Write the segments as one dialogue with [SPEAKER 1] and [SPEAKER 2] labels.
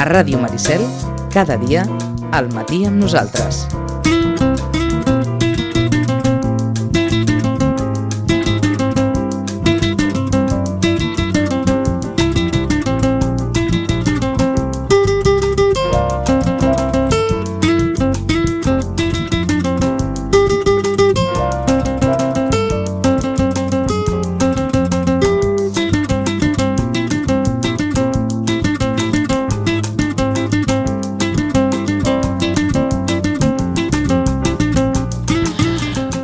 [SPEAKER 1] Ràdio Maricel, cada dia, al matí amb nosaltres.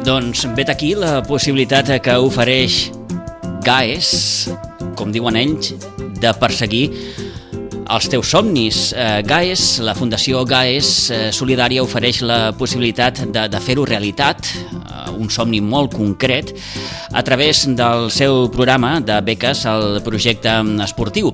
[SPEAKER 2] Doncs vet aquí la possibilitat que ofereix GAES, com diuen ells, de perseguir els teus somnis. GAES, la Fundació GAES Solidària ofereix la possibilitat de fer-ho realitat, un somni molt concret, a través del seu programa de beques al projecte esportiu.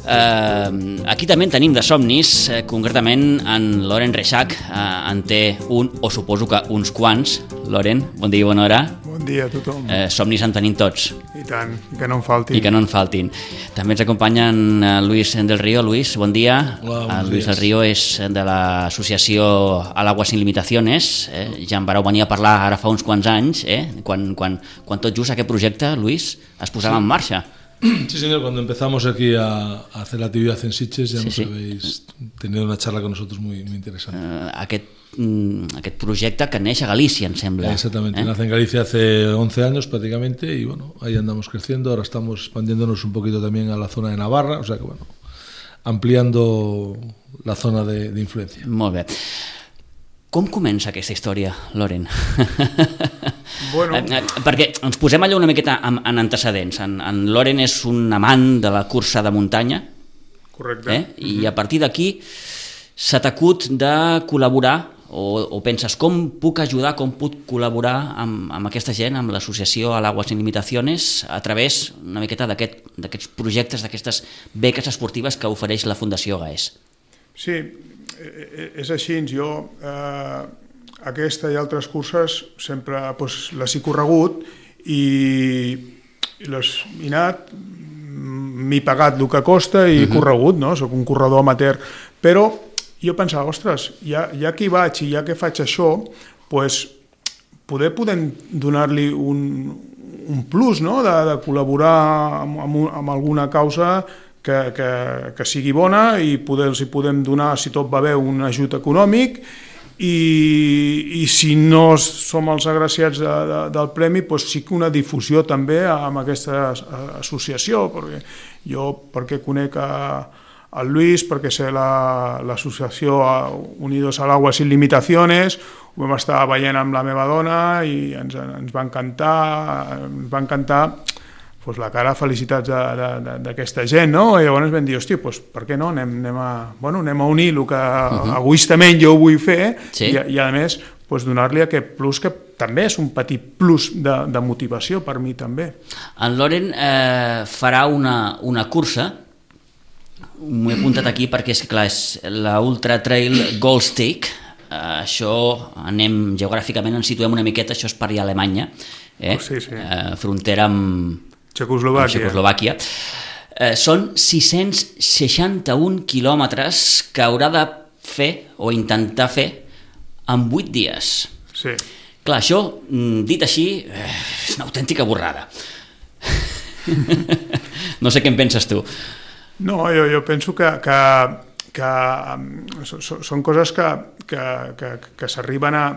[SPEAKER 2] Aquí també en tenim de somnis, concretament en Loren Reixac en té un, o suposo que uns quants. Loren, bon dia i bona hora.
[SPEAKER 3] Bon dia a tothom.
[SPEAKER 2] Somnis en tenim tots.
[SPEAKER 3] I tant, i que no en faltin.
[SPEAKER 2] I que no en faltin. També ens acompanyen Luis del Río. Luis, bon dia.
[SPEAKER 4] Hola,
[SPEAKER 2] Luis del Río és de l'associació Al Agua Sin Limitaciones. Ja en vareu venir a parlar ara fa uns quants anys, quan tot just aquest projecte, Luis, es posava en marxa.
[SPEAKER 4] Sí, señor, cuando empezamos aquí a hacer la actividad en Sitges ya nos habéis tenido una charla con nosotros muy interesante.
[SPEAKER 2] Aquest projecte que neix a Galícia, em sembla.
[SPEAKER 4] Exactamente, nace en Galicia hace 11 años prácticamente y bueno, ahí andamos creciendo, ahora estamos expandiéndonos un poquito también a la zona de Navarra, o sea que bueno, ampliando la zona de influencia.
[SPEAKER 2] Molt bé. Com comença aquesta història, Loren?
[SPEAKER 3] Bueno.
[SPEAKER 2] Perquè ens posem allà una miqueta en antecedents. En Loren és un amant de la cursa de muntanya.
[SPEAKER 3] Correcte.
[SPEAKER 2] I a partir d'aquí s'ha t'acut de col·laborar o penses com puc ajudar, com puc col·laborar amb aquesta gent, amb l'associació Al Agua Sin Limitaciones, a través una miqueta d'aquests projectes, d'aquestes beques esportives que ofereix la Fundació GAES.
[SPEAKER 3] Sí, és així. Jo aquesta i altres curses sempre les he corregut i he anat, m'he pagat el que costa i he corregut, no? Soc un corredor amateur, però jo pensava, ostres, ja que hi vaig i ja que faig això, podem donar-li un plus, no? De col·laborar amb alguna causa que sigui bona i els podem donar, si tot va bé, un ajut econòmic i si no som els agraciats del premi, sí que una difusió també amb aquesta associació, perquè conec el Luis, perquè sé l'associació Unidos al Agua Sin Limitaciones, ho vam estar veient amb la meva dona i ens va encantar la cara, felicitats d'aquesta gent, no? I llavors vam dir, hòstia, per què no? Anem a unir el que egoistament jo vull fer i a més donar-li aquest plus que també és un petit plus de motivació per mi també.
[SPEAKER 2] En Loren farà una cursa, m'ho he apuntat aquí perquè és clar, és la Ultra Trail Gold Stake. Això anem geogràficament, ens situem una miqueta, això és per allà a Alemanya, frontera amb Txecoslovàquia. Són 661 quilòmetres que haurà de fer o intentar fer en 8 dies.
[SPEAKER 3] Sí.
[SPEAKER 2] Clar, això, dit així, és una autèntica borrada. No sé què en penses tu.
[SPEAKER 3] No, jo penso que són coses que s'arriben a...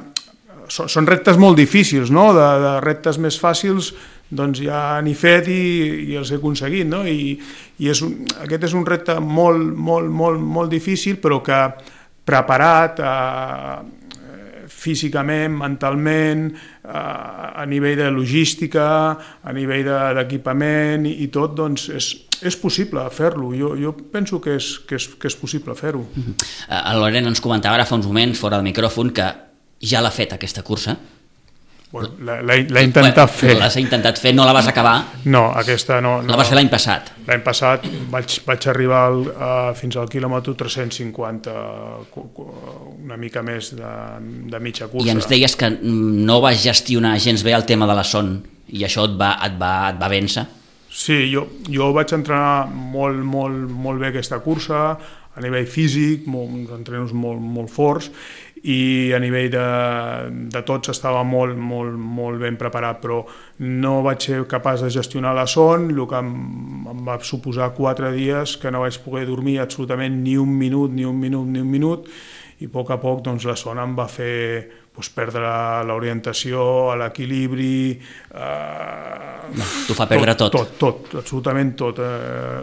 [SPEAKER 3] Són reptes molt difícils, no? De reptes més fàcils doncs ja n'he fet i els he aconseguit, no? I aquest és un repte molt difícil, però que preparat físicament, mentalment, a nivell de logística, a nivell d'equipament i tot, doncs és possible fer-lo. Jo penso que és possible fer-ho.
[SPEAKER 2] El Loren ens comentava ara fa uns moments, fora del micròfon, que ja l'ha fet aquesta cursa.
[SPEAKER 3] L'ha intentat fer.
[SPEAKER 2] L'has intentat fer, no la vas acabar?
[SPEAKER 3] No, aquesta no.
[SPEAKER 2] La vas fer l'any passat?
[SPEAKER 3] L'any passat vaig arribar fins al quilòmetre 350, una mica més de mitja cursa.
[SPEAKER 2] I ens deies que no vas gestionar gens bé el tema de la son i això et va vèncer?
[SPEAKER 3] Sí, jo vaig entrenar molt bé aquesta cursa, a nivell físic, uns entrenos molt forts, i a nivell de tots estava molt ben preparat, però no vaig ser capaç de gestionar la son, el que em va suposar 4 dies que no vaig poder dormir absolutament ni un minut, i a poc doncs, la son em va fer perdre l'orientació, l'equilibri...
[SPEAKER 2] T'ho fa perdre tot.
[SPEAKER 3] Tot, absolutament tot.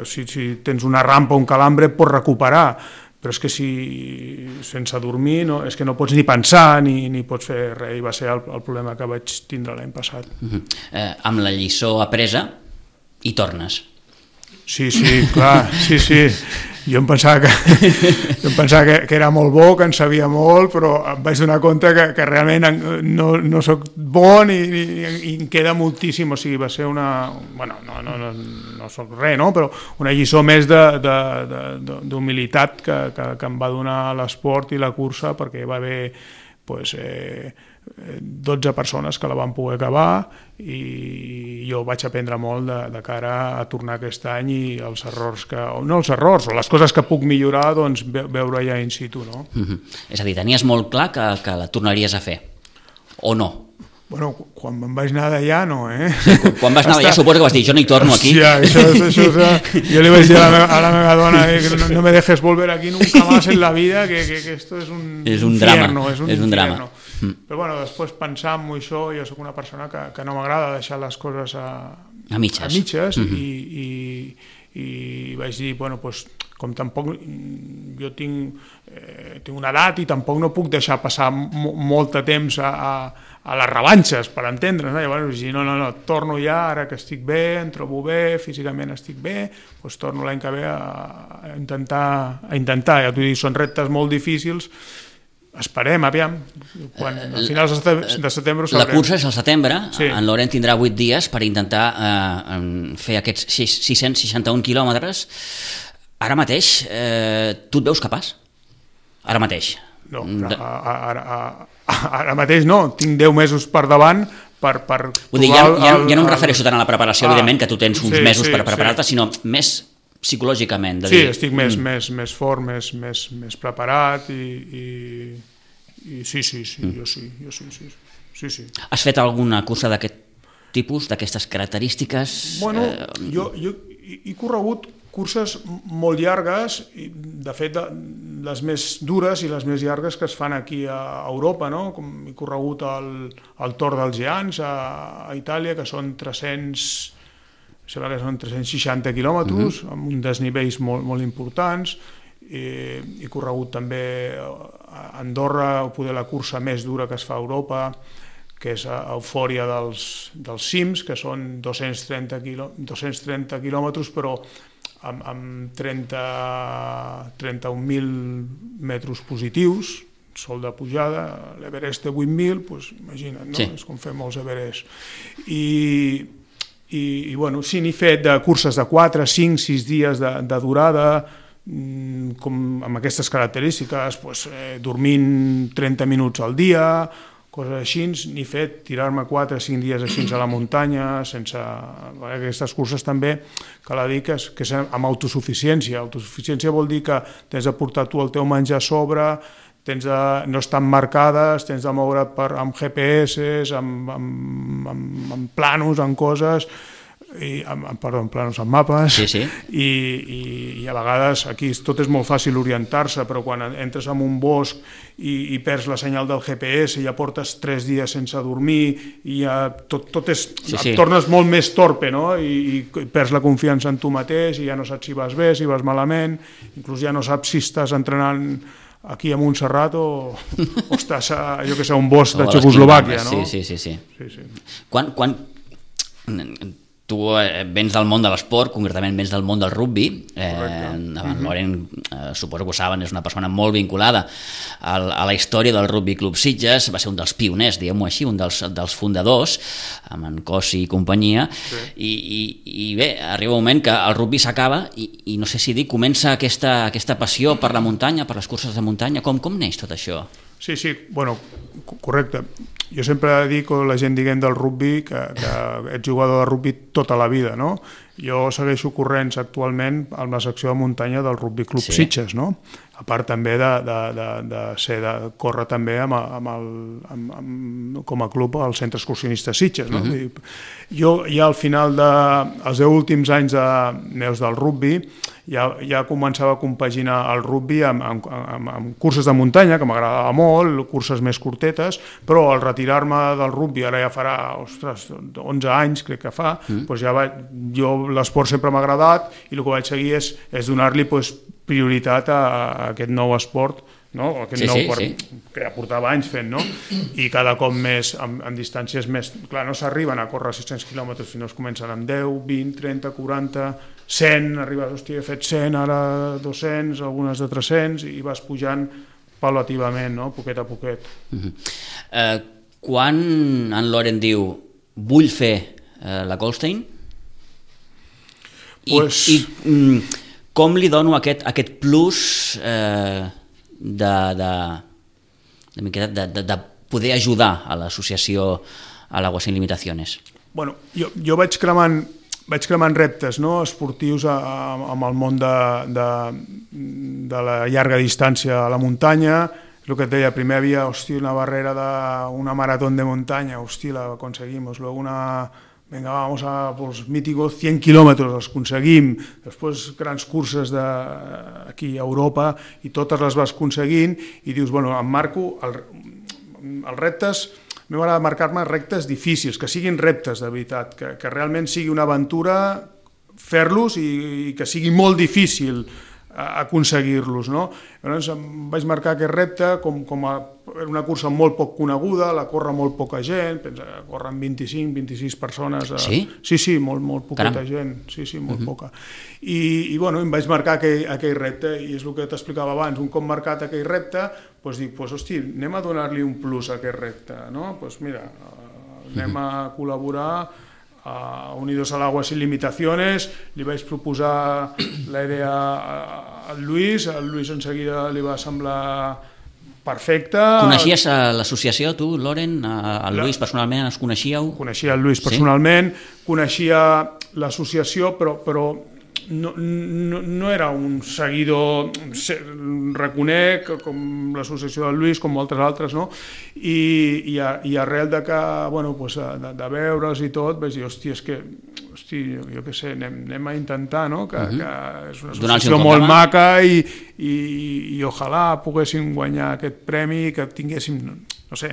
[SPEAKER 3] Si tens una rampa o un calambre pots recuperar, però és que si sense dormir és que no pots ni pensar ni pots fer res, i va ser el problema que vaig tindre l'any passat.
[SPEAKER 2] Amb la lliçó apresa hi tornes.
[SPEAKER 3] Sí, clar, sí. Jo em pensava que era molt bo, que en sabia molt, però em vaig donar compte que realment no soc bo ni em queda moltíssim, o sigui, va ser una... Bueno, no soc res, no? Però una lliçó més d'humilitat que em va donar l'esport i la cursa, perquè va haver 12 persones que la van poder acabar, i jo vaig aprendre molt de cara a tornar aquest any, i els errors o les coses que puc millorar, doncs veure ja in situ, no?
[SPEAKER 2] És a dir, tenies molt clar que la tornaries a fer, o no?
[SPEAKER 3] Bueno, quan me'n vaig anar d'allà, no,
[SPEAKER 2] Quan vas anar d'allà suposo que vas dir, jo no hi torno aquí.
[SPEAKER 3] Això jo li vaig dir a la meva dona, no me dejes volver aquí nunca más en la vida, que esto es un infierno, és un drama. Però bueno, després pensant en això, jo soc una persona que no m'agrada deixar les coses a mitges, i vaig dir, bueno, doncs, com tampoc jo tinc una edat i tampoc no puc deixar passar molt de temps a les revanxes, per entendre's, no? Llavors vaig dir, no, torno ja, ara que estic bé, em trobo bé, físicament estic bé, doncs torno l'any que ve a intentar, ja t'ho dic, són reptes molt difícils. Esperem, aviam, a finals de setembre ho sabrem.
[SPEAKER 2] La cursa és al setembre,
[SPEAKER 3] sí.
[SPEAKER 2] En Laurent tindrà 8 dies per intentar fer aquests 661 quilòmetres. Ara mateix, tu et veus capaç? Ara mateix?
[SPEAKER 3] No, ara mateix no, tinc 10 mesos per davant per
[SPEAKER 2] vull dir, ja no em refereixo tant a la preparació, evidentment, que tu tens uns mesos per preparar-te, sinó més psicològicament.
[SPEAKER 3] Sí, estic més fort, més preparat, i sí, jo sí.
[SPEAKER 2] Has fet alguna cursa d'aquest tipus, d'aquestes característiques?
[SPEAKER 3] Bueno, jo he corregut curses molt llargues, de fet les més dures i les més llargues que es fan aquí a Europa, no? Com he corregut el Tor dels Geants a Itàlia, que són 360 quilòmetres, amb uns desnivells molt importants. He corregut també a Andorra, poder la cursa més dura que es fa a Europa, que és Eufòria dels cims, que són 230 quilòmetres, però amb 31.000 metres positius, sol de pujada. L'Everest té 8.000, doncs imagina't, no? Sí. És com fer molts Everest. I bueno, sí, n'he fet de curses de 4, 5, 6 dies de durada, com amb aquestes característiques, dormint 30 minuts al dia, coses així. N'he fet tirar-me 4 o 5 dies així a la muntanya, sense... Aquestes curses també, cal dir que és amb autosuficiència. Autosuficiència vol dir que tens de portar tu el teu menjar a sobre, no estan marcades, tens de moure amb GPS, amb planos, amb coses, planos amb mapes,
[SPEAKER 2] sí.
[SPEAKER 3] I a vegades aquí tot és molt fàcil orientar-se, però quan entres en un bosc i perds la senyal del GPS, ja portes 3 dies sense dormir, i ja tot és... Sí. Et tornes molt més torpe, no? I perds la confiança en tu mateix, i ja no saps si vas bé, si vas malament, inclús ja no saps si estàs entrenant aquí a Montserrat o estàs a, jo que sé, un bosc de Txecoslovàquia, no?
[SPEAKER 2] Sí. Quan tu vens del món de l'esport, concretament vens del món del rugby, Laurent, suposo que ho saben, és una persona molt vinculada a la història del Rugby Club Sitges, va ser un dels pioners, diguem-ho així, un dels fundadors, amb en Cossi i companyia, sí. I bé, arriba un moment que el rugby s'acaba i no sé si dir, comença aquesta passió per la muntanya, per les curses de muntanya, com neix tot això?
[SPEAKER 3] Sí, bueno, correcte. Jo sempre dic a la gent, diguem, del rugby que ets jugador de rugby tota la vida, no? Jo segueixo corrents actualment amb la secció de muntanya del Rugby Club Sitges, no? A part també de córrer també com a club al Centre Excursionista Sitges, no? Jo ja al final dels 10 últims anys meus del rugby ja començava a compaginar el rugby amb curses de muntanya, que m'agradava molt, curses més curtetes, però al retirar-me del rugby, ara ja farà 11 anys crec que fa, jo l'esport sempre m'ha agradat i el que vaig seguir és donar-li prioritat a aquest nou esport, que ja portava anys fent, no? I cada cop més amb distàncies més... Clar, no s'arriben a córrer 600 quilòmetres, sinó es comencen amb 10, 20, 30, 40, 100, arribes, hòstia, he fet 100, ara 200, algunes de 300, i vas pujant paulativament, no? Poquet a poquet.
[SPEAKER 2] Quan en Loren diu vull fer la Goldstein, i com li dono aquest plus de poder ajudar a l'associació a l'Aguas Sin Limitaciones? Bueno,
[SPEAKER 3] jo vaig cremant reptes, no, esportius amb el món de la llarga distància a la muntanya. El que et deia, primer havia una barrera d'una marató de muntanya, la aconseguimos, luego venga, vamos a los míticos 100 kilómetros, els aconseguim, després grans curses aquí a Europa i totes les vas aconseguint i dius, bueno, em marco els reptes, m'he de marcar-me reptes difícils, que siguin reptes de veritat, que realment sigui una aventura fer-los i que sigui molt difícil aconseguir-los, no? Llavors em vaig marcar aquest repte com una cursa molt poc coneguda, la corre molt poca gent, corren 25-26 persones.
[SPEAKER 2] Sí?
[SPEAKER 3] Sí, molt poqueta gent, sí, molt poca. I bueno, em vaig marcar aquell repte, i és el que t'explicava abans, un cop marcat aquell repte, dic, hosti, anem a donar-li un plus a aquest repte, no? Doncs mira, anem a col·laborar a Unidos al Agua Sin Limitaciones, li vaig proposar la idea al Lluís, al Lluís en seguida li va semblar perfecta.
[SPEAKER 2] Coneixies l'associació, tu, Loren? El Lluís personalment, els coneixíeu?
[SPEAKER 3] Coneixia el Lluís personalment, coneixia l'associació, però no era un seguidor, reconec, com l'associació del Lluís, com moltes altres, no? I arrel de veure'ls i tot, vaig dir, hòstia, és que, jo què sé, anem a intentar, no? Que és una associació molt maca i ojalà poguéssim guanyar aquest premi, que tinguéssim, no sé,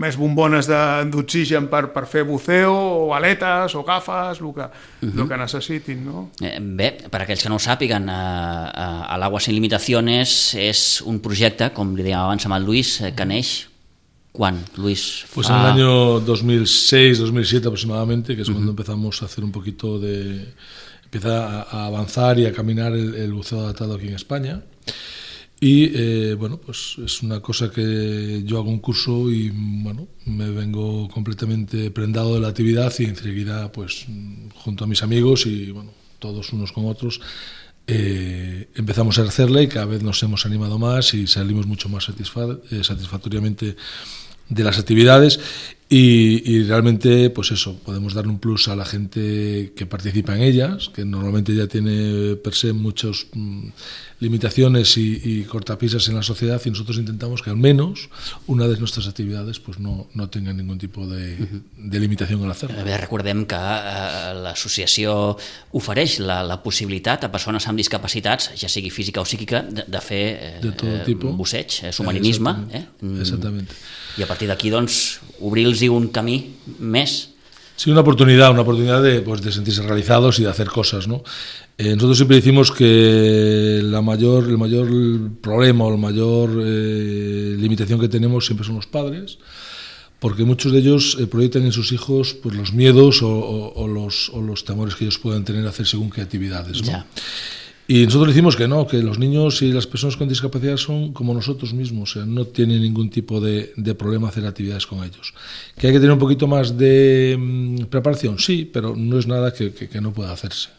[SPEAKER 3] més bombones d'oxigen per fer buceo, o aletes, o gafes, el que necessitin, no?
[SPEAKER 2] Bé, per aquells que no ho sàpiguen, a l'Aguas Sin Limitaciones és un projecte, com li dèiem abans amb el Lluís, que neix ¿Cuán, Luis?
[SPEAKER 4] Pues en el año 2006, 2007 aproximadamente, que es cuando empezamos a hacer un poquito de... Empieza a avanzar y a caminar el buceo adaptado aquí en España. Y bueno, pues es una cosa que yo hago un curso y bueno, me vengo completamente prendado de la actividad y enseguida, pues junto a mis amigos y bueno, todos unos con otros, empezamos a hacerla y cada vez nos hemos animado más y salimos mucho más satisfactoriamente de las actividades y realmente pues eso, podemos darle un plus a la gente que participa en ellas, que normalmente ya tiene per se muchas limitaciones y cortapisas en la sociedad, y nosotros intentamos que al menos una de nuestras actividades pues no tenga ningún tipo de limitación al hacerlo.
[SPEAKER 2] Recordem que l'associació ofereix la possibilitat a persones amb discapacitats, ja sigui física o psíquica, de fer busseig, submarinisme.
[SPEAKER 4] Exactamente.
[SPEAKER 2] I a partir d'aquí, doncs, obrir-los un camí més.
[SPEAKER 4] Sí, una oportunidad de sentirse realizados y de hacer cosas, ¿no? Nosotros siempre decimos que el mayor problema o la mayor limitación que tenemos siempre son los padres, porque muchos de ellos proyectan en sus hijos pues los miedos o los temores que ellos puedan tener a hacer según qué actividades, ¿no? Ya. Y nosotros decimos que no, que los niños y las personas con discapacidad son como nosotros mismos, o sea, no tienen ningún tipo de problema hacer actividades con ellos. ¿Que hay que tener un poquito más de preparación? Sí, pero no es nada que no pueda hacerse.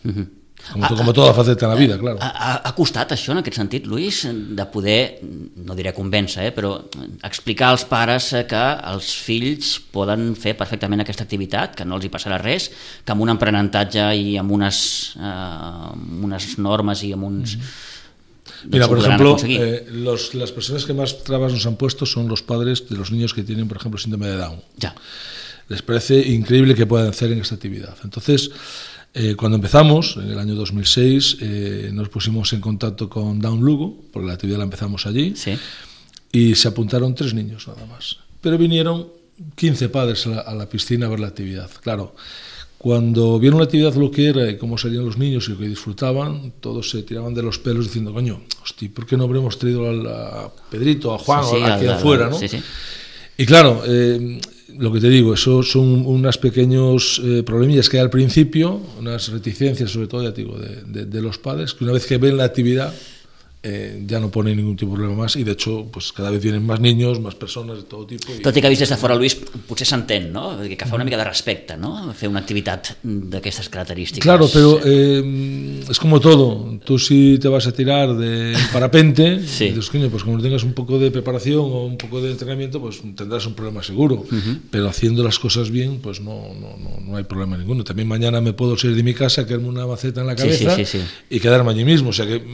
[SPEAKER 4] como toda faceta en la vida, claro.
[SPEAKER 2] Ha costat això, en aquest sentit, Luis, de poder, no diré convèncer, però explicar als pares que els fills poden fer perfectament aquesta activitat, que no els hi passarà res, que amb un aprenentatge i amb unes normes i amb uns...
[SPEAKER 4] Mira, por ejemplo, las personas que más trabas nos han puesto son los padres de los niños que tienen, por ejemplo, síndrome de Down.
[SPEAKER 2] Ya.
[SPEAKER 4] Les parece increíble que puedan hacer en esta actividad. Entonces, cuando empezamos, en el año 2006, nos pusimos en contacto con Down Lugo, porque la actividad la empezamos allí,
[SPEAKER 2] sí.
[SPEAKER 4] Y se apuntaron 3 niños nada más. Pero vinieron 15 padres a la piscina a ver la actividad. Claro, cuando vieron la actividad lo que era y cómo salían los niños y lo que disfrutaban, todos se tiraban de los pelos diciendo, coño, hostia, ¿por qué no habremos traído a Pedrito, a Juan, o a quien fuera, ¿no?
[SPEAKER 2] Sí, sí.
[SPEAKER 4] Y claro, lo que te digo, eso son unos pequeños problemillas que hay al principio, unas reticencias sobre todo, ya te digo, de los padres, que una vez que ven la actividad ja no pone ningún tipus de problema más, i de hecho pues, cada vez vienen más niños, más personas de todo tipo.
[SPEAKER 2] Tot i que vist des de fora, Luis, potser s'entén, no? Que fa una mica de respecte, no? Fer una activitat d'aquestes característiques.
[SPEAKER 4] Claro, pero es como todo. Tú si te vas a tirar de parapente,
[SPEAKER 2] sí.
[SPEAKER 4] Dices, coño, pues como no tengas un poco de preparación o un poco de entrenamiento, pues tendrás un problema seguro. Pero haciendo las cosas bien, pues no hay problema ninguno. También mañana me puedo salir de mi casa, quedarme una maceta en la cabeza y quedarme allí mismo. O sea que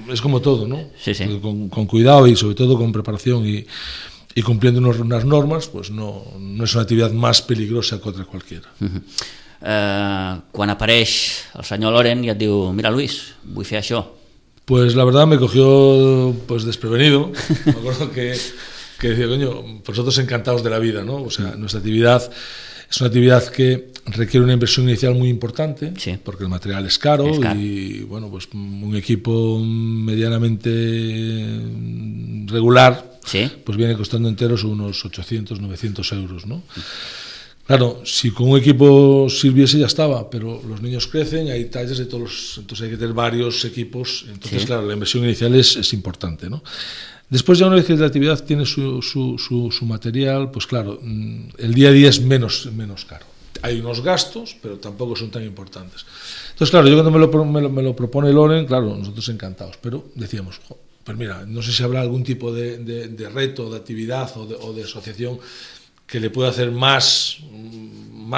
[SPEAKER 4] es como todo, ¿no?
[SPEAKER 2] Sí, sí.
[SPEAKER 4] Con cuidado y sobre todo con preparación y cumpliendo unas normas, pues no es una actividad más peligrosa que otra cualquiera.
[SPEAKER 2] Quan apareix el senyor Loren i et diu, mira Luis, vull fer això.
[SPEAKER 4] Pues la verdad me cogió pues desprevenido. Me acuerdo que decía, coño, vosotros encantados de la vida, ¿no? O sea, nuestra actividad es una actividad que requiere una inversión inicial muy importante, sí. Porque el material es caro y bueno, pues un equipo medianamente regular, sí. Pues viene costando enteros unos 800, 900 euros, ¿no? Claro, si con un equipo sirviese ya estaba, pero los niños crecen, hay tallas de todos entonces hay que tener varios equipos, entonces sí. Claro, la inversión inicial es importante, ¿no? Después ya una vez que la actividad tiene su material, pues claro, el día a día es menos caro. Hay unos gastos, pero tampoco son tan importantes. Entonces, claro, yo cuando me lo propone Loren, claro, nosotros encantados, pero decíamos, pues mira, no sé si habrá algún tipo de reto, de actividad o de asociación que le pueda hacer más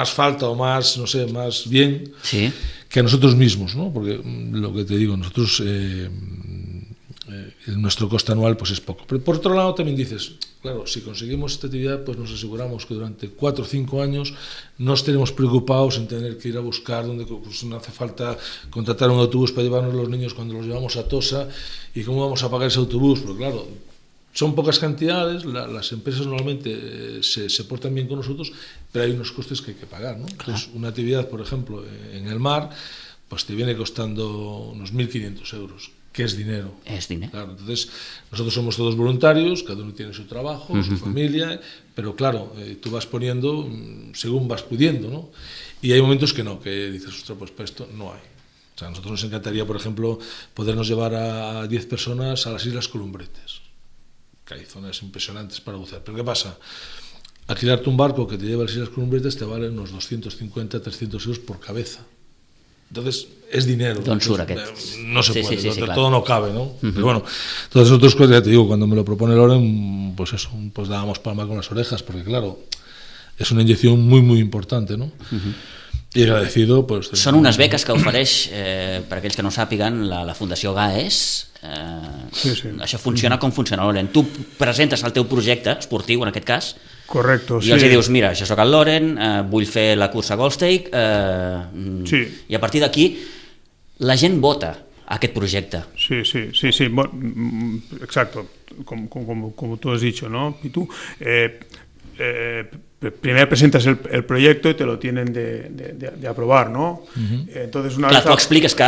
[SPEAKER 4] falta o más, no sé, más bien sí. Que a nosotros mismos, ¿no? Porque lo que te digo, nosotros... nuestro coste anual pues es poco, pero por otro lado también dices, claro, si conseguimos esta actividad pues nos aseguramos que durante 4 o 5 años no estaremos preocupados en tener que ir a buscar donde pues, no hace falta contratar un autobús para llevarnos los niños cuando los llevamos a Tosa y cómo vamos a pagar ese autobús, porque claro, son pocas cantidades, las empresas normalmente se portan bien con nosotros, pero hay unos costes que hay que pagar, ¿no? Claro. Entonces, una actividad, por ejemplo, en el mar, pues te viene costando unos 1.500 euros. Que es dinero.
[SPEAKER 2] Es dinero.
[SPEAKER 4] Claro, entonces, nosotros somos todos voluntarios, cada uno tiene su trabajo, su familia, pero claro, tú vas poniendo según vas pudiendo, ¿no? Y hay momentos que no, que dices, ostras, pues para esto no hay. O sea, a nosotros nos encantaría, por ejemplo, podernos llevar a 10 personas a las Islas Columbretes, que hay zonas impresionantes para bucear. Pero ¿qué pasa? Alquilarte un barco que te lleva a las Islas Columbretes te vale unos 250, 300 euros por cabeza. Entonces, es dinero. No se puede, sí, claro. Todo no cabe, ¿no? Pero bueno, todas esas otras cosas, ya te digo, cuando me lo propone Loren, pues eso, pues dábamos palma con las orejas, porque claro, es una inyección muy, muy importante, ¿no? I agradecido, pues...
[SPEAKER 2] Són unes beques que ofereix, per aquells que no sàpiguen, la Fundació GAES. Sí. Això funciona com funciona, Loren. Tu presentes el teu projecte esportiu, en aquest cas,
[SPEAKER 3] correcto,
[SPEAKER 2] i els dius, mira, jo soc el Loren, vull fer la cursa Goldstake, i a partir d'aquí la gent vota aquest projecte.
[SPEAKER 3] Sí, bueno, exacto, como tú has dicho, ¿no? Y tú... primero presentas el proyecto y te lo tienen de aprobar, ¿no? Entonces una
[SPEAKER 2] vez tú explicas que...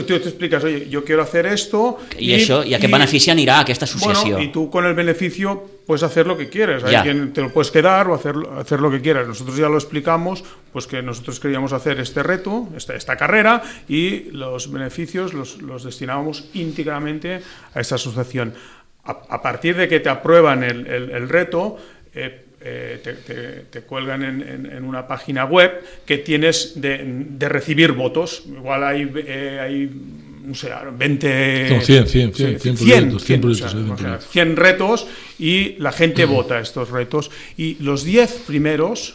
[SPEAKER 3] Tú te explicas, oye, yo quiero hacer esto...
[SPEAKER 2] I a què benefici anirà aquesta associació?
[SPEAKER 3] Bueno, y tú con el beneficio puedes hacer lo que quieres. Hay quien te lo puedes quedar o hacer lo que quieras. Nosotros ya lo explicamos, pues que nosotros queríamos hacer este reto, esta carrera, y los beneficios los destinábamos íntegramente a esta asociación. A partir de que te aprueban el reto... te cuelgan en una página web que tienes de recibir votos. Igual hay no sé, 20...
[SPEAKER 4] No, 100 proyectos.
[SPEAKER 3] 100 retos y la gente vota estos retos. Y los 10 primeros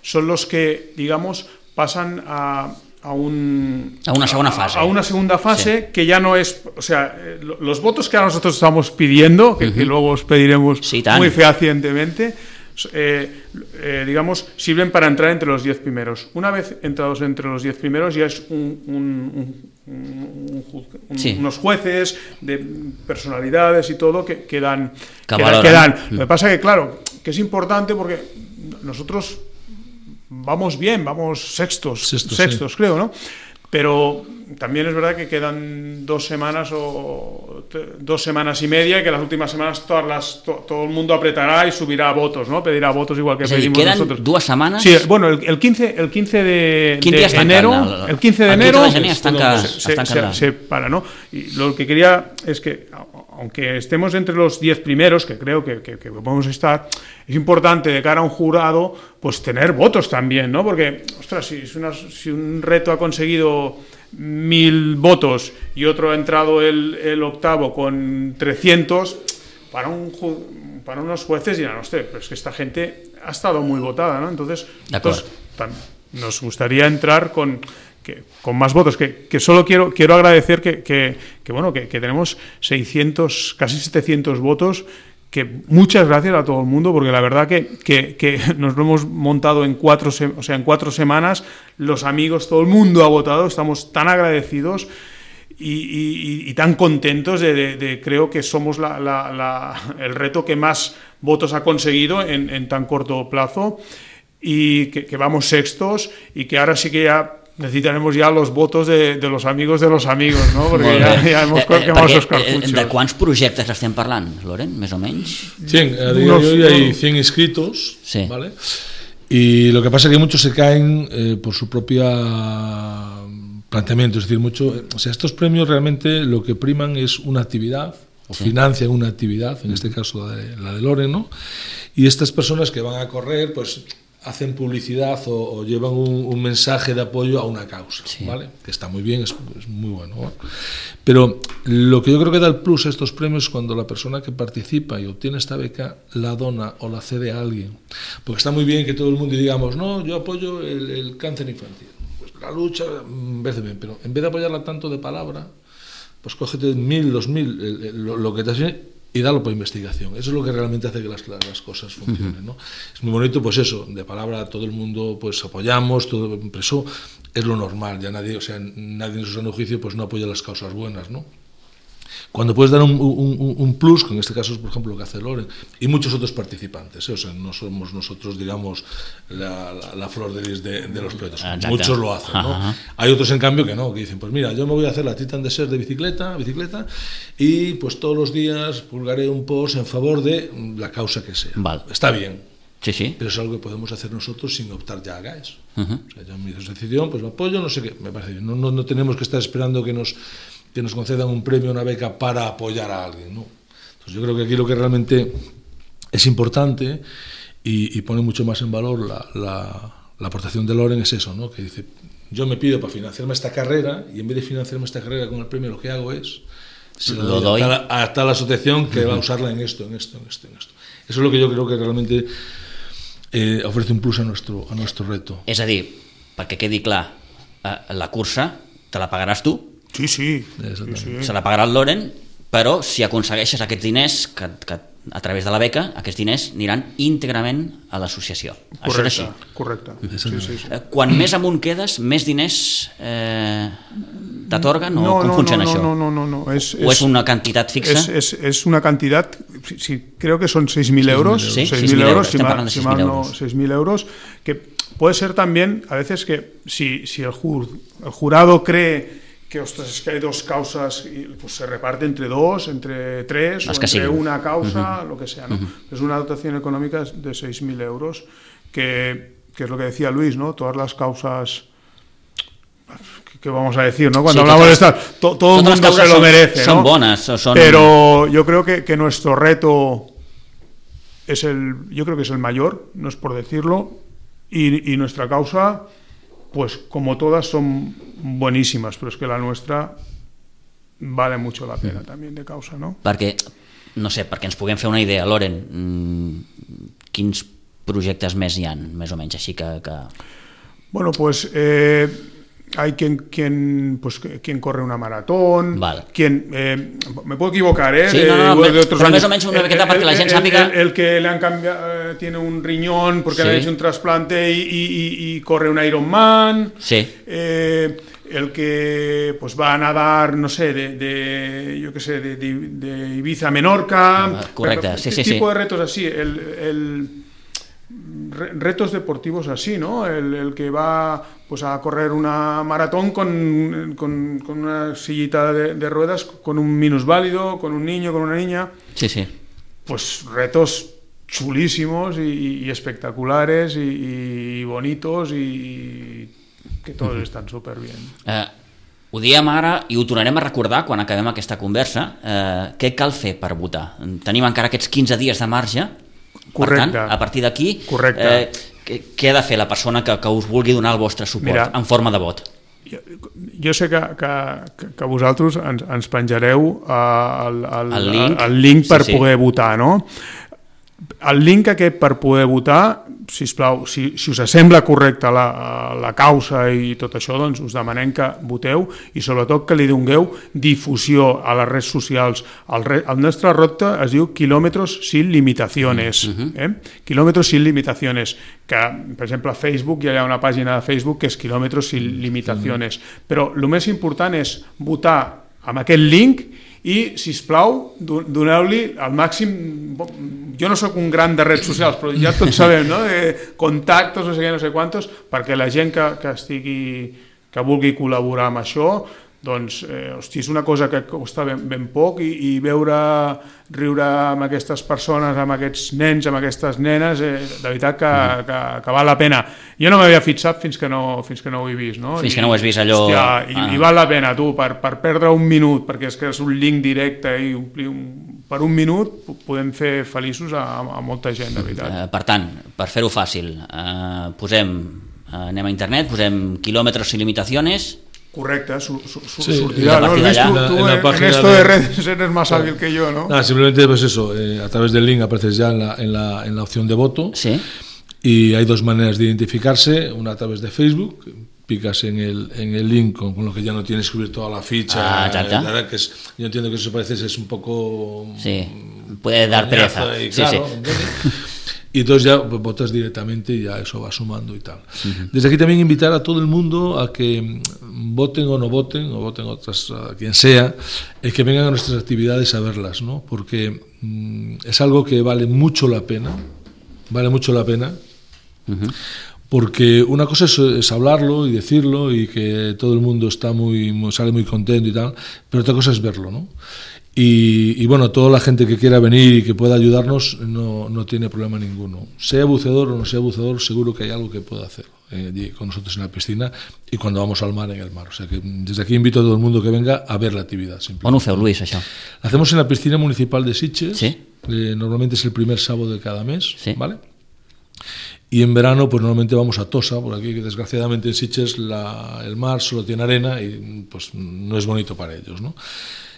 [SPEAKER 3] son los que, digamos, pasan a una
[SPEAKER 2] segunda fase.
[SPEAKER 3] A una segunda fase, sí. Que ya no es... O sea, los votos que ahora nosotros estamos pidiendo, que luego os pediremos muy fehacientemente, digamos, sirven para entrar entre los 10 primeros. Una vez entrados entre los 10 primeros ya es unos jueces de personalidades y todo que dan. Lo que pasa que, claro, que es importante porque nosotros vamos bien, vamos sextos, sí. Creo, ¿no? Pero también es verdad que quedan 2 semanas o 2 semanas y media, y que las últimas semanas todo el mundo apretará y subirá votos, ¿no? Pedirá votos igual que pedimos
[SPEAKER 2] ¿quedan
[SPEAKER 3] nosotros.
[SPEAKER 2] 2 semanas?
[SPEAKER 3] Sí, bueno, el 15 de enero, el 15 de enero se para, ¿no? Y lo que quería es que, aunque estemos entre los 10 primeros, que creo que podemos estar, es importante de cara a un jurado, pues tener votos también, ¿no? Porque, ostras, si un reto ha conseguido 1000 votos y otro ha entrado el octavo con 300, para unos jueces dirán, hostia, pero es que esta gente ha estado muy votada, ¿no? Entonces nos gustaría entrar con más votos, que solo quiero agradecer que tenemos 600, casi 700 votos, que muchas gracias a todo el mundo, porque la verdad que nos lo hemos montado en 4 semanas, los amigos, todo el mundo ha votado, estamos tan agradecidos y tan contentos de creo que somos el reto que más votos ha conseguido en tan corto plazo, y que vamos sextos, y que ahora sí que ya necessitaremos ja els votos de los amigos, no? Perquè ja hemos quemado esos cartuchos.
[SPEAKER 2] ¿De cuántos proyectos estem parlant, Loren, más o menos?
[SPEAKER 4] 100, a día de hoy hay 100 inscritos, sí. ¿Vale? Y lo que pasa es que muchos se caen por su propia planteamiento, es decir, estos premios realmente lo que priman es una actividad, o financian una actividad, en este caso la de Loren, ¿no? Y estas personas que van a correr, pues hacen publicidad o llevan un mensaje de apoyo a una causa, sí. ¿Vale? Que está muy bien, es muy bueno, ¿no? Pero lo que yo creo que da el plus a estos premios es cuando la persona que participa y obtiene esta beca la dona o la cede a alguien. Porque está muy bien que todo el mundo digamos, no, yo apoyo el cáncer infantil. Pues la lucha, en vez de bien, pero en vez de apoyarla tanto de palabra, pues cógete 1000, 2000, lo que te hace, y darlo por investigación. Eso es lo que realmente hace que las cosas funcionen, ¿no? Es muy bonito, pues eso, de palabra todo el mundo pues apoyamos, todo, eso es lo normal, ya nadie en su sano juicio pues no apoya las causas buenas, ¿no? Cuando puedes dar un plus, que en este caso es por ejemplo lo que hace Loren y muchos otros participantes, o sea, no somos nosotros, digamos, la flor de lis de los proyectos. Exacto. Muchos lo hacen, ¿no? Ajá. Hay otros en cambio que no, que dicen, pues mira, yo me voy a hacer la Titan Desert de bicicleta y pues todos los días publicaré un post en favor de la causa que sea. Vale. Está bien.
[SPEAKER 2] Sí, sí.
[SPEAKER 4] Pero es algo que podemos hacer nosotros sin optar ya a GAES. O sea, yo en mi asociación pues lo apoyo, no sé qué, me parece bien. No tenemos que estar esperando que nos concedan un premio, una beca para apoyar a alguien, ¿no? Entonces yo creo que aquí lo que realmente es importante y pone mucho más en valor la aportación de Loren es eso, ¿no? Que dice, yo me pido para financiarme esta carrera y en vez de financiarme esta carrera con el premio lo que hago es se lo doy a tal asociación que va a usarla en esto. Eso es lo que yo creo que realmente ofrece un plus a nuestro reto.
[SPEAKER 2] És a dir, perquè quedi clar, la cursa te la pagaràs tu?
[SPEAKER 3] Sí.
[SPEAKER 2] Se la pagarà el Loren, però si aconsegueixes aquests diners que a través de la beca, aquests diners aniran íntegrament a l'associació. Això és així.
[SPEAKER 3] Correcte. Sí.
[SPEAKER 2] Quan més amunt quedes, més diners t'atorguen o com funciona això?
[SPEAKER 3] No.
[SPEAKER 2] ¿O es una cantidad fixa?
[SPEAKER 3] Es una cantidad, sí, creo que son 6.000 euros.
[SPEAKER 2] Sí, 6.000 euros. Estamos hablando de 6.000 euros.
[SPEAKER 3] 6.000 euros, que puede ser también, a veces que si el jurado cree que, ostras, es que hay 2 causas y pues se reparte entre 2, entre 3 o entre una causa, lo que sea, ¿no? Es una dotación económica de 6.000 euros que es lo que decía Luis, ¿no? Todas las causas, que vamos a decir, ¿no? Cuando hablamos de estar, todo el mundo se lo merece, ¿no?
[SPEAKER 2] Son bonas.
[SPEAKER 3] Pero yo creo que nuestro reto yo creo que es el mayor, no es por decirlo, y nuestra causa, pues como todas son buenísimas, pero es que la nuestra vale mucho la pena también de causa, ¿no?
[SPEAKER 2] Perquè, no sé, perquè ens puguem fer una idea, Loren, quins projectes més hi ha, més o menys, així que...
[SPEAKER 3] Bueno, pues hay quien corre una maratón,
[SPEAKER 2] vale.
[SPEAKER 3] Me puedo equivocar,
[SPEAKER 2] sí,
[SPEAKER 3] de otros
[SPEAKER 2] pero
[SPEAKER 3] años.
[SPEAKER 2] Más o menos una miqueta para que la gente sàpiga...
[SPEAKER 3] El que le han cambiado, tiene un riñón porque le han hecho un trasplante y corre un Ironman.
[SPEAKER 2] Sí.
[SPEAKER 3] El que pues va a nadar, no sé, de Ibiza a Menorca.
[SPEAKER 2] Correcte, sí.
[SPEAKER 3] Tipo de retos así, retos deportivos así, ¿no? El que va pues a correr una maratón con una sillita de ruedas, con un minusválido, con un niño, con una niña.
[SPEAKER 2] Sí.
[SPEAKER 3] Pues retos chulísimos y espectaculares y bonitos y que todos estan superbien.
[SPEAKER 2] Ho diem ara i ho tornarem a recordar quan acabem aquesta conversa. Què cal fer per votar? Tenim encara aquests 15 dies de marge.
[SPEAKER 3] Correcte.
[SPEAKER 2] Per tant, a partir d'aquí, què ha de fer la persona que us vulgui donar el vostre suport en forma de vot?
[SPEAKER 3] Jo sé que vosaltres ens penjareu el link per poder votar, no? El link aquest per poder votar, sisplau, si us sembla correcta la causa i tot això, doncs us demanem que voteu i sobretot que li dongueu difusió a les redes socials. El nostre repte es diu Kilómetros sin limitaciones. Kilómetros sin limitaciones, que per exemple a Facebook hi ha una pàgina de Facebook que és Kilómetros sin limitaciones, però el més important és votar amb aquest link i, sisplau, doneu-li al màxim... Jo no sóc un gran de redes socials, però ja tots sabem, no? Contactes, no sé què, no sé quantos, perquè la gent que vulgui col·laborar amb això, doncs, hosti, és una cosa que costa ben poc i veure riure amb aquestes persones, amb aquests nens, amb aquestes nenes, de veritat que val la pena. Jo no m'havia fixat fins que no ho he vist, no?
[SPEAKER 2] Fins que no ho has vist allò...
[SPEAKER 3] Hòstia, i val la pena, tu, per perdre un minut, perquè és que és un link directe i per un minut podem fer feliços a molta gent, de veritat.
[SPEAKER 2] Per tant, per fer-ho fàcil, anem a internet, posem Kilómetros sin limitaciones...
[SPEAKER 3] Correcte, sortirà, ¿no?
[SPEAKER 2] En
[SPEAKER 3] esto de redes eres más hábil que yo, ¿no?
[SPEAKER 4] Simplemente pues eso, a través del link apareces ya en la opción de voto.
[SPEAKER 2] Sí.
[SPEAKER 4] Y hay dos maneras de identificarse, una a través de Facebook, picas en el link con lo que ya no tienes que escribir toda la ficha, que yo entiendo que eso parece es un poco...
[SPEAKER 2] Sí, puede dar pereza.
[SPEAKER 4] Y, claro, sí. Y entonces ya votas directamente y ya eso va sumando y tal. Desde aquí también invitar a todo el mundo a que voten o voten otras, a quien sea, que vengan a nuestras actividades a verlas, ¿no? Porque es algo que vale mucho la pena, porque una cosa es hablarlo y decirlo y que todo el mundo sale muy contento y tal, pero otra cosa es verlo, ¿no? Y bueno, toda la gente que quiera venir y que pueda ayudarnos no tiene problema ninguno. Sea buceador o no sea buceador, seguro que hay algo que pueda hacer con nosotros en la piscina y cuando vamos al mar, en el mar. O sea que desde aquí invito a todo el mundo que venga a ver la actividad.
[SPEAKER 2] On ho feu, Luis, això?
[SPEAKER 4] La hacemos en la piscina municipal de Sitges.
[SPEAKER 2] Sí.
[SPEAKER 4] Normalmente es el primer sábado de cada mes,
[SPEAKER 2] sí.
[SPEAKER 4] ¿vale? Y en verano, pues normalmente vamos a Tossa, por aquí, que desgraciadamente en Sitges el mar solo tiene arena y pues no es bonito para ellos, ¿no?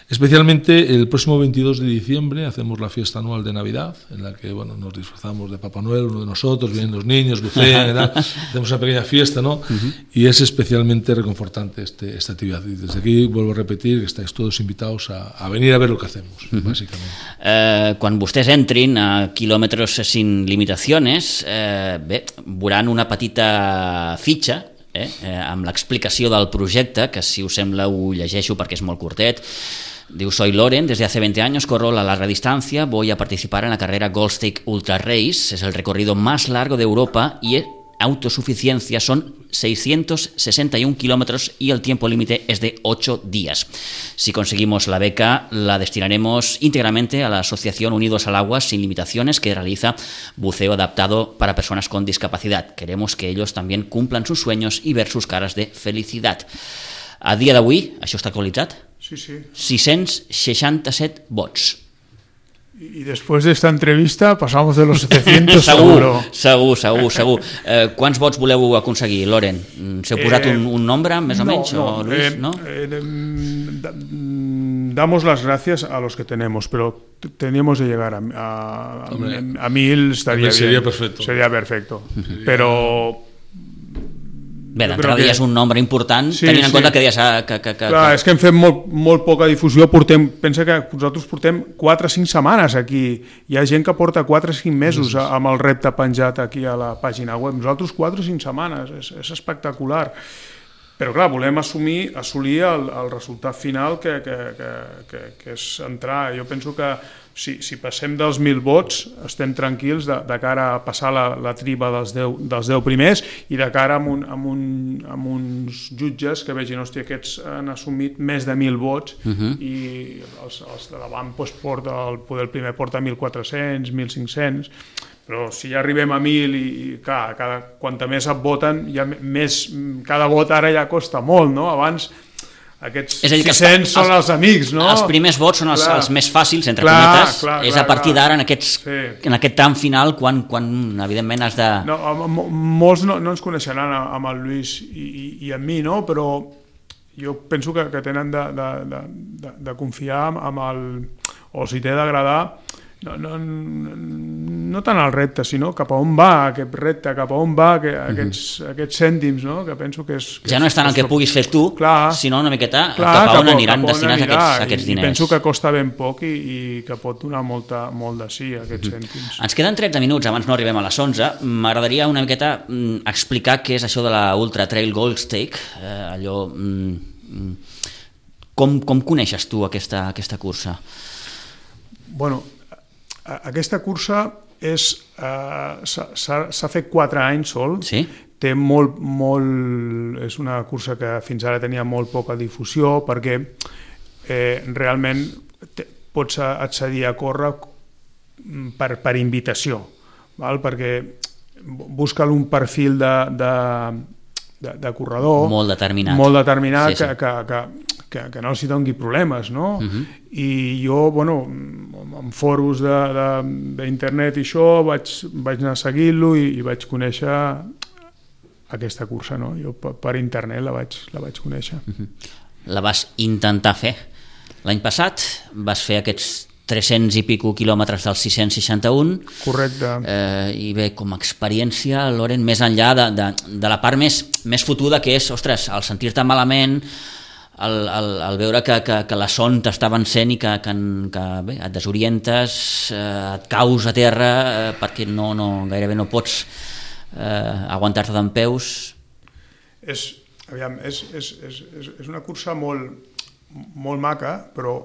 [SPEAKER 4] Especialmente el próximo 22 de diciembre hacemos la fiesta anual de Navidad, en la que bueno, nos disfrazamos de Papá Noel, uno de nosotros, vienen los niños, bucean, hacemos una pequeña fiesta, ¿no? Y es especialmente reconfortante esta actividad. Y desde aquí vuelvo a repetir que estáis todos invitados a venir a ver lo que hacemos, bàsicament.
[SPEAKER 2] Quan vostès entrin a Kilómetros sin limitaciones, veuran una petita fitxa amb l'explicació del projecte, que si us sembla ho llegeixo perquè és molt curtet. Diu, soy Loren, desde hace 20 años corro la larga distancia, voy a participar en la carrera Gold Stake Ultra Race, es el recorrido más largo de Europa y autosuficiencia son 661 kilómetros y el tiempo límite es de 8 días. Si conseguimos la beca, la destinaremos íntegramente a la Asociación Unidos al Agua Sin Limitaciones, que realiza buceo adaptado para personas con discapacidad. Queremos que ellos también cumplan sus sueños y ver sus caras de felicidad. A dia d'avui, això està actualitzat?
[SPEAKER 3] Sí.
[SPEAKER 2] 667 vots.
[SPEAKER 3] Y después de esta entrevista pasamos de los 700 seguro.
[SPEAKER 2] Segur. Quants vots voleu aconseguir, Loren? S'heu posat un nombre, més o menys?
[SPEAKER 3] No,
[SPEAKER 2] Luis, no?
[SPEAKER 3] Damos las gracias a los que tenemos, pero teníamos de llegar a 1000, estaría bien.
[SPEAKER 4] Sería perfecto.
[SPEAKER 3] Sería perfecto. Pero...
[SPEAKER 2] Bé, d'entrada ja és un nombre important, tenint en compte que deies...
[SPEAKER 3] Clar, és que hem fet molt poca difusió, pensa que nosaltres portem 4 o 5 setmanes aquí, hi ha gent que porta 4 o 5 mesos amb el repte penjat aquí a la pàgina web, nosaltres 4 o 5 setmanes, és espectacular. Però clar, volem assolir el resultat final que és entrar. Jo penso que si passem dels 1.000 vots estem tranquils de cara a passar la triba dels 10 primers i de cara amb uns jutges que vegin, hòstia, aquests han assumit més de 1.000 vots i els de davant el primer porta 1.400, 1.500, però si ja arribem a 1.000 i clar, quanta més et voten, cada vot ara ja costa molt, no? Abans aquests 600 són els amics, no?
[SPEAKER 2] Els primers vots són els més fàcils, entre cometes, és a partir d'ara, en aquest tram final, quan evidentment has de...
[SPEAKER 3] Molts no ens coneixeran amb el Lluís i amb mi, no? Però jo penso que tenen de confiar amb el... o si t'he d'agradar, no tant el repte, sinó cap a on va aquest repte, cap a on va aquests cèntims, no? Que penso que és...
[SPEAKER 2] Ja no és tant el que puguis fer tu, sinó una miqueta cap a on aniran destinats aquests diners.
[SPEAKER 3] I penso que costa ben poc i que pot donar molt de sí, aquests cèntims.
[SPEAKER 2] Ens queden 13 minuts, abans no arribem a les 11. M'agradaria una miqueta explicar què és això de la Ultra Trail Gold Stake, allò... Com coneixes tu aquesta cursa?
[SPEAKER 3] Bueno, aquesta cursa s'ha fet 4 anys sol, té és una cursa que fins ara tenia molt poca difusió perquè realment pots accedir a córrer per invitació, perquè busca un perfil de corredor
[SPEAKER 2] molt determinat
[SPEAKER 3] que no s'hi doni problemes, no? I jo, en foros d'internet i això, vaig anar seguint-lo i vaig conèixer aquesta cursa, no? Jo per internet la vaig conèixer.
[SPEAKER 2] La vas intentar fer. L'any passat vas fer aquests 300 i pico quilòmetres dels 661.
[SPEAKER 3] Correcte.
[SPEAKER 2] I bé, com a experiència, Loren, més enllà de la part més fotuda que és, ostres, el sentir-te malament, el veure que la son t'està vencent i que bé, et desorientes, et caus a terra perquè gairebé no pots aguantar-te dempeus.
[SPEAKER 3] És una cursa molt maca, però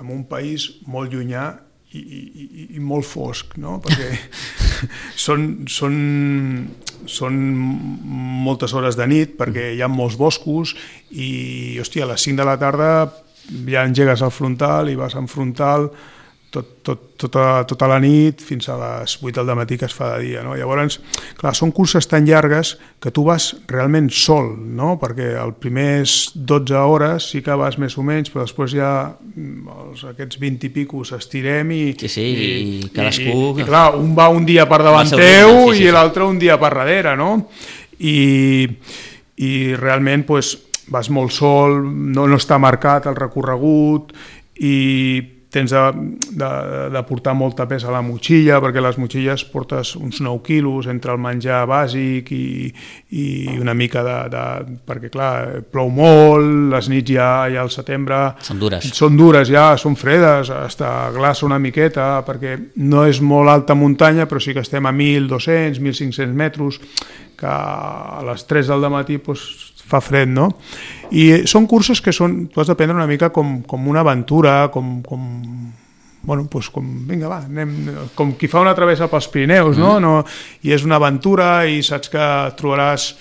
[SPEAKER 3] en un país molt llunyà i molt fosc, no? Perquè són moltes hores de nit, perquè hi ha molts boscos i, hòstia, a les 5 de la tarda ja engegues el frontal i vas en frontal tota la nit fins a les 8 del matí que es fa de dia, no? Llavors, clar, són curses tan llargues que tu vas realment sol, no? Perquè els primers 12 hores sí que vas més o menys, però després ja aquests 20 i pico s'estirem i
[SPEAKER 2] cadascú...
[SPEAKER 3] I clar, un va un dia per davant teu i l'altre un dia per darrere, no? I realment vas molt sol, no està marcat el recorregut i tens de portar molta pes a la motxilla, perquè les motxilles portes uns 9 quilos entre el menjar bàsic i una mica perquè clar, plou molt, les nits ja al setembre són dures ja, són fredes, hasta glaça una miqueta, perquè no és molt alta muntanya, però sí que estem a 1.200, 1.500 metres, que a les 3 del matí fa fred, no? I són curses que tu has de prendre una mica com una aventura, vinga, va, com qui fa una travessa pels Pirineus, no? I és una aventura i saps que trobaràs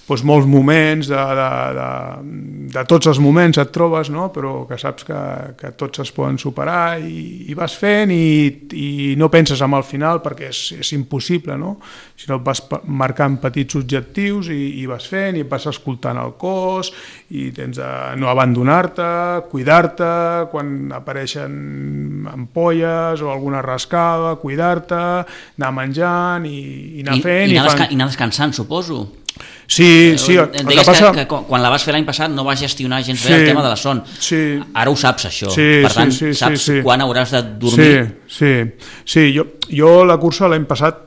[SPEAKER 3] doncs molts moments, de tots els moments et trobes, no? Però que saps que tots es poden superar i vas fent i no penses en el final perquè és impossible, no? Sinó vas marcant petits objectius i vas fent i vas escoltant el cos i tens de no abandonar-te, cuidar-te quan apareixen ampolles o alguna rascada, cuidar-te, anar menjant i anar fent.
[SPEAKER 2] I anar descansant, suposo.
[SPEAKER 3] Sí.
[SPEAKER 2] Em deies que quan la vas fer l'any passat no vas gestionar gens bé el tema de la son. Ara ho saps, això. Per tant, saps quan hauràs de dormir.
[SPEAKER 3] Sí. Jo la cursa l'any passat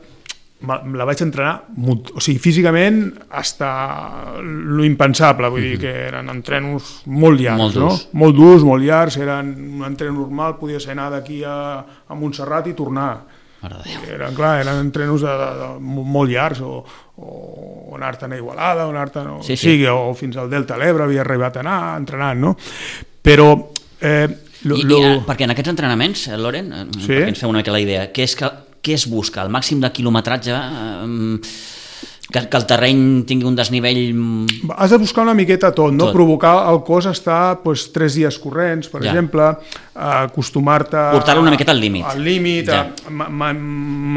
[SPEAKER 3] la vaig entrenar, o sigui, físicament hasta lo impensable, vull dir que eren entrenos molt llargs, no? Molt durs, molt llargs, eren un entren normal, podia ser anar d'aquí a Montserrat i tornar. Eren entrenos molt llargs, o anar-te'n a Igualada, o anar-te'n o fins al Delta de l'Ebre havia arribat a anar entrenant, no? Però...
[SPEAKER 2] Perquè en aquests entrenaments, Loren, perquè ens feu una mica la idea, què es busca? El màxim de quilometratge? Que el terreny tingui un desnivell...
[SPEAKER 3] Has de buscar una miqueta tot, no? Provocar el cos a estar 3 dies corrents, per exemple, acostumar-te...
[SPEAKER 2] Portar-lo una miqueta al límit.
[SPEAKER 3] Al límit,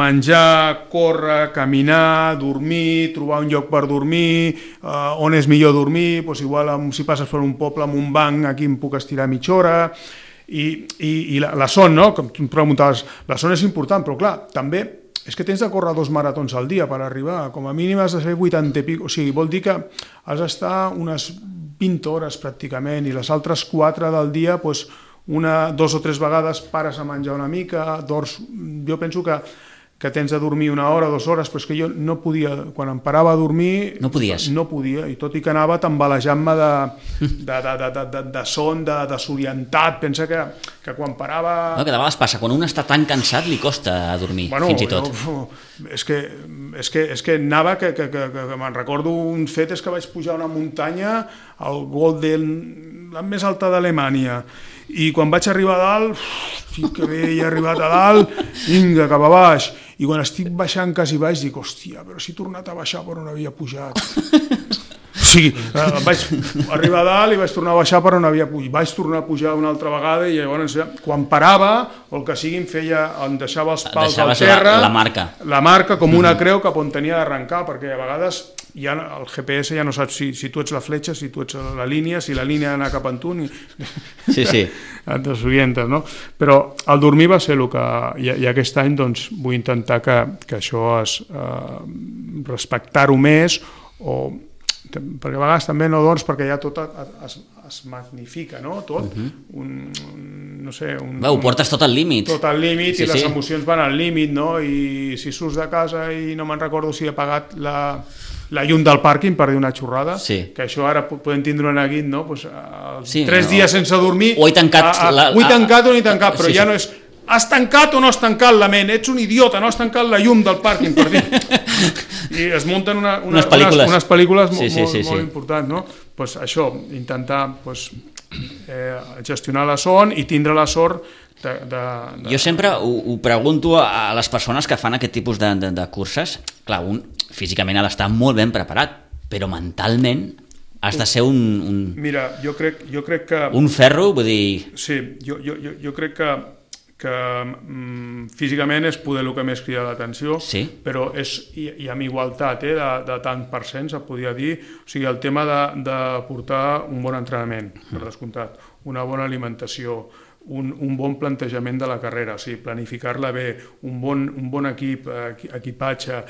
[SPEAKER 3] menjar, córrer, caminar, dormir, trobar un lloc per dormir, on és millor dormir, igual si passes per un poble amb un banc, aquí em puc estirar mitja hora... I la son, no? Com tu em preguntaves, la son és important, però clar, també és que tens de córrer 2 maratons al dia per arribar, com a mínim has de fer 80 i pico, o sigui, vol dir que has d'estar unes 20 hores pràcticament i les altres 4 del dia, 2 o 3 vegades pares a menjar una mica, dors, jo penso que tens de dormir 1 hora, 2 hores, però és que jo no podia, quan em parava a dormir...
[SPEAKER 2] No podies?
[SPEAKER 3] No podia, i tot i que anava tambalejant-me de son, de desorientat, pensa que quan parava...
[SPEAKER 2] No, que de vegades passa, quan un està tan cansat li costa dormir, fins i tot.
[SPEAKER 3] És que anava, que me'n recordo un fet, és que vaig pujar una muntanya, el Golden, la més alta d'Alemanya, i quan vaig arribar a dalt, que bé, he arribat a dalt, vinga, cap a baix, i quan estic baixant quasi baix dic, hòstia, però si he tornat a baixar per on havia pujat. O sigui, vaig arribar a dalt i vaig tornar a baixar per on havia pujat. Vaig tornar a pujar una altra vegada i llavors quan parava, o el que sigui, em deixava els pals al terra, la marca com una creu cap on tenia d'arrencar, perquè a vegades ja el GPS ja no saps si tu ets la fletxa, si tu ets la línia, si la línia ha d'anar cap a tu, et desorientes, no? Però el dormir va ser el que... I aquest any doncs, vull intentar que això respectar-ho més, perquè a vegades també no dors perquè ja tot es magnifica, no? Tot. No sé...
[SPEAKER 2] Ho portes tot al límit.
[SPEAKER 3] Tot al límit i les emocions van al límit, no? I si surts de casa i no me'n recordo si he apagat la llum del pàrquing per dir una xorrada, que això ara podem tindre un neguit, no? 3 dies sense dormir...
[SPEAKER 2] O he tancat...
[SPEAKER 3] Ho he tancat o no he tancat, però ja no és... Has tancat o no has tancat la ment? Ets un idiota, no has tancat la llum del pàrquing, per dir. I es munten unes pel·lícules molt importants, no? Doncs això, intentar gestionar la son i tindre la sort de...
[SPEAKER 2] Jo sempre ho pregunto a les persones que fan aquest tipus de curses. Clar, un físicament ha d'estar molt ben preparat, però mentalment has de ser un...
[SPEAKER 3] Mira, jo crec que...
[SPEAKER 2] Un ferro, vull dir...
[SPEAKER 3] Sí, jo crec que físicament és poder el que més crida l'atenció, però i amb igualtat de tant per cent, se podria dir, o sigui, el tema de portar un bon entrenament, per descomptat, una bona alimentació, un bon plantejament de la carrera, o sigui, planificar-la bé, un bon equipatge,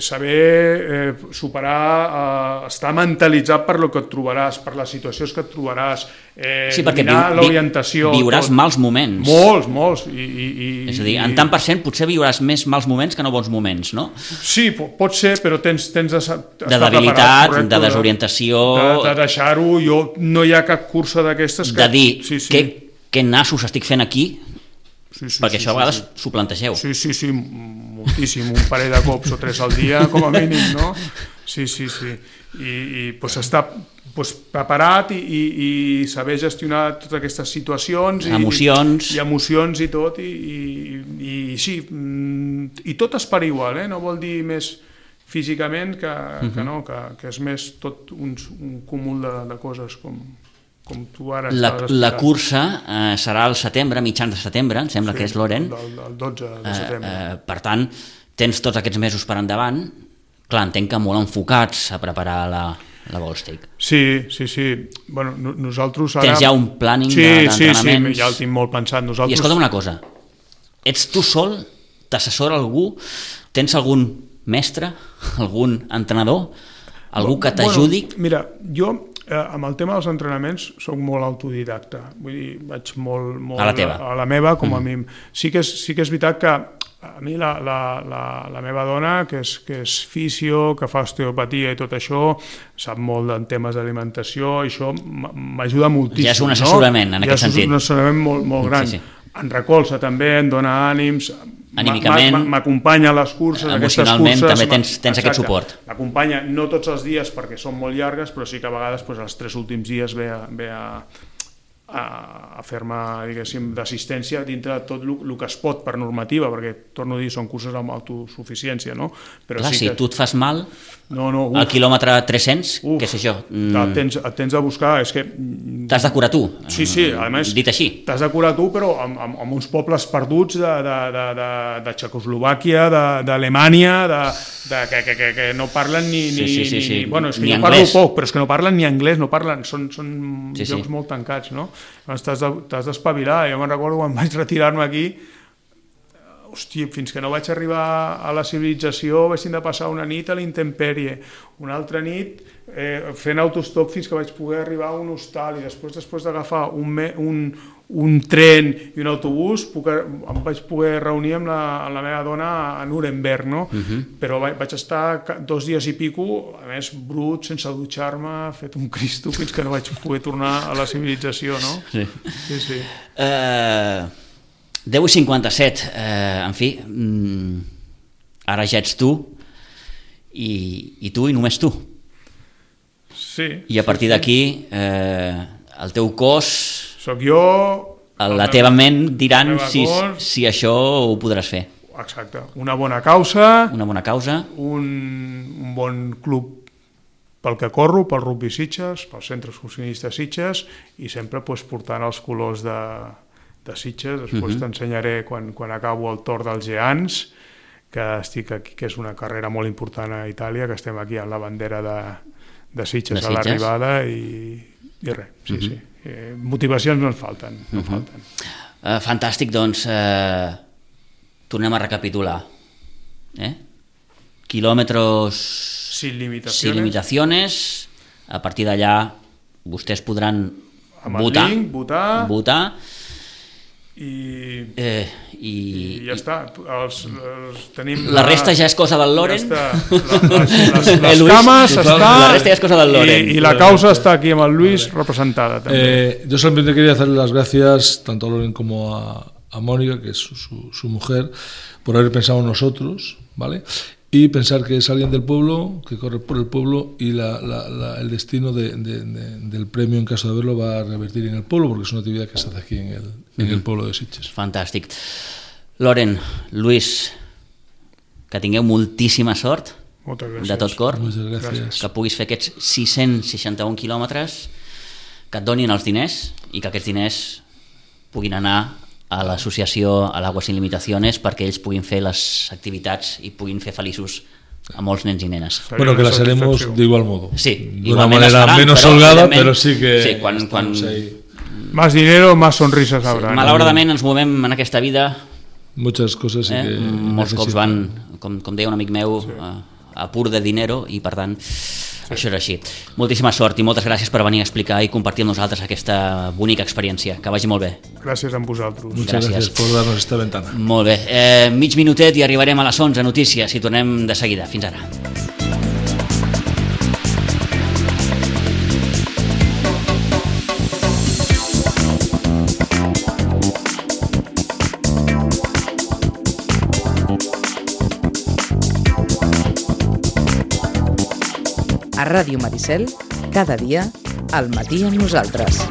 [SPEAKER 3] saber superar, estar mentalitzat per lo que et trobaràs, per les situacions que et trobaràs, dominar l'orientació.
[SPEAKER 2] Viuràs mals moments.
[SPEAKER 3] Molts.
[SPEAKER 2] És a dir, en tant per cent potser viuràs més mals moments que no bons moments, no?
[SPEAKER 3] Sí, pot ser, però tens d'estar preparat.
[SPEAKER 2] De debilitat, de desorientació...
[SPEAKER 3] De deixar-ho, no hi ha cap cursa d'aquestes que...
[SPEAKER 2] De dir, què nassos estic fent aquí? Perquè això a vegades s'ho plantegeu.
[SPEAKER 3] Sí, moltíssim, un parell de cops o 3 al dia, com a mínim, no? Sí. I estar preparat i saber gestionar totes aquestes situacions. Emocions i tot, i sí, i tot es per igual, no vol dir més físicament que no, que és més tot un cúmul de coses com tu ara estàs explicant.
[SPEAKER 2] La cursa serà al setembre, mitjans de setembre, em sembla que és, Loren.
[SPEAKER 3] El 12 de setembre.
[SPEAKER 2] Per tant, tens tots aquests mesos per endavant. Clar, entenc que molt enfocats a preparar la Volstake.
[SPEAKER 3] Sí. Bueno, nosaltres ara...
[SPEAKER 2] Tens ja un planning d'entrenaments?
[SPEAKER 3] Sí, ja el tinc molt pensat. Nosaltres...
[SPEAKER 2] I escolta'm una cosa, ets tu sol? T'assessora algú? Tens algun mestre? Algun entrenador? Algú que t'ajudi?
[SPEAKER 3] Bueno, mira, jo amb el tema dels entrenaments soc molt autodidacta. Vull dir, vaig molt
[SPEAKER 2] a la teva.
[SPEAKER 3] A la meva, com a mi. Sí que és veritat que a mi la meva dona, que és fisio, que fa osteopatia i tot això, sap molt en temes d'alimentació, i això m'ajuda moltíssim.
[SPEAKER 2] Ja és un assessorament, en aquest sentit.
[SPEAKER 3] Ja és un assessorament molt gran. Sí. Em recolza també, em dona ànims,
[SPEAKER 2] anímicament,
[SPEAKER 3] m'acompanya a les curses,
[SPEAKER 2] emocionalment també tens aquest suport.
[SPEAKER 3] M'acompanya no tots els dies perquè són molt llargues, però sí que a vegades els 3 últims dies ve a fer-me, diguéssim, d'assistència dintre de tot el que es pot per normativa, perquè, torno a dir, són curses amb autosuficiència, no? Però
[SPEAKER 2] clar,
[SPEAKER 3] sí
[SPEAKER 2] si tu et fas mal,
[SPEAKER 3] al
[SPEAKER 2] quilòmetre 300, què sé jo...
[SPEAKER 3] Et tens de buscar, és que...
[SPEAKER 2] T'has de curar tu,
[SPEAKER 3] sí, a més,
[SPEAKER 2] dit així.
[SPEAKER 3] T'has de curar tu, però amb uns pobles perduts de Txecoslovàquia, d'Alemanya, que no parlen ni... Bueno, és que jo parlo poc, però és que no parlen ni anglès, no parlen, són llocs molt tancats, no? T'has d'espavilar. Jo me'n recordo quan vaig retirar-me aquí, hòstia, fins que no vaig arribar a la civilització vaig de passar una nit a l'intempèrie, una altra nit fent autostop fins que vaig poder arribar a un hostal, i després d'agafar un tren i un autobús em vaig poder reunir amb la meva dona a Nuremberg, no? Però vaig estar 2 dies i pico, a més brut, sense dutxar-me, fet un cristo, fins que no vaig poder tornar a la civilització, no? Sí.
[SPEAKER 2] 10:57, en fi, ara ja ets tu, i tu i només tu.
[SPEAKER 3] Sí.
[SPEAKER 2] I a partir d'aquí, el teu cos...
[SPEAKER 3] Soc jo...
[SPEAKER 2] La teva ment diran si això ho podràs fer.
[SPEAKER 3] Exacte. Una bona causa. Un bon club pel que corro, pel Rugby Sitges, pel Centre Excursionista Sitges, i sempre portant els colors de Sitges. Després t'ensenyaré quan acabo el Tour dels Geants, que estic aquí, que és una carrera molt important a Itàlia, que estem aquí amb la bandera de Sitges a l'arribada, i res, sí. Motivacions no ens falten.
[SPEAKER 2] Fantàstic, doncs tornem a recapitular. Quilòmetres sin limitaciones. A partir d'allà vostès podran votar i
[SPEAKER 3] ja està.
[SPEAKER 2] La resta ja és cosa del Loren.
[SPEAKER 3] Les cames està,
[SPEAKER 2] la resta ja és cosa del Loren.
[SPEAKER 3] Y la causa está aquí amb el Luis representada también.
[SPEAKER 4] Yo solamente quería darle las gracias tanto a Loren como a Mónica, que es su mujer, por haber pensado en nosotros, ¿vale? Y pensar que es alguien del pueblo, que corre por el pueblo, y el destino del premio, en caso de haberlo, va a revertir en el pueblo, porque es una actividad que se hace aquí en el pueblo de Sitges.
[SPEAKER 2] Fantàstic. Loren, Luis, que tingueu moltíssima sort, de tot cor, que puguis fer aquests 661 quilòmetres, que et donin els diners, i que aquests diners puguin anar a l'associació a l'Agua Sin Limitaciones perquè ells puguin fer les activitats i puguin fer feliços a molts nens i nenes.
[SPEAKER 4] Bueno, que las haremos de igual modo.
[SPEAKER 2] Sí,
[SPEAKER 4] de una manera menos holgada, pero sí que...
[SPEAKER 2] Sí, quan...
[SPEAKER 3] Más dinero, más sonrisas habrá.
[SPEAKER 2] Malauradament ens movem en aquesta vida...
[SPEAKER 4] Muchas cosas sí que...
[SPEAKER 2] Molts cops van, com deia un amic meu, a pur de dinero, i per tant... Això és així. Moltíssima sort i moltes gràcies per venir a explicar i compartir amb nosaltres aquesta bonica experiència. Que vagi molt bé.
[SPEAKER 3] Gràcies a vosaltres.
[SPEAKER 4] Muchas gracias por darnos esta ventana.
[SPEAKER 2] Molt bé. Mig minutet i arribarem a les 11 notícies i tornem de seguida. Fins ara.
[SPEAKER 1] A Ràdio Maricel, cada dia, al matí amb nosaltres.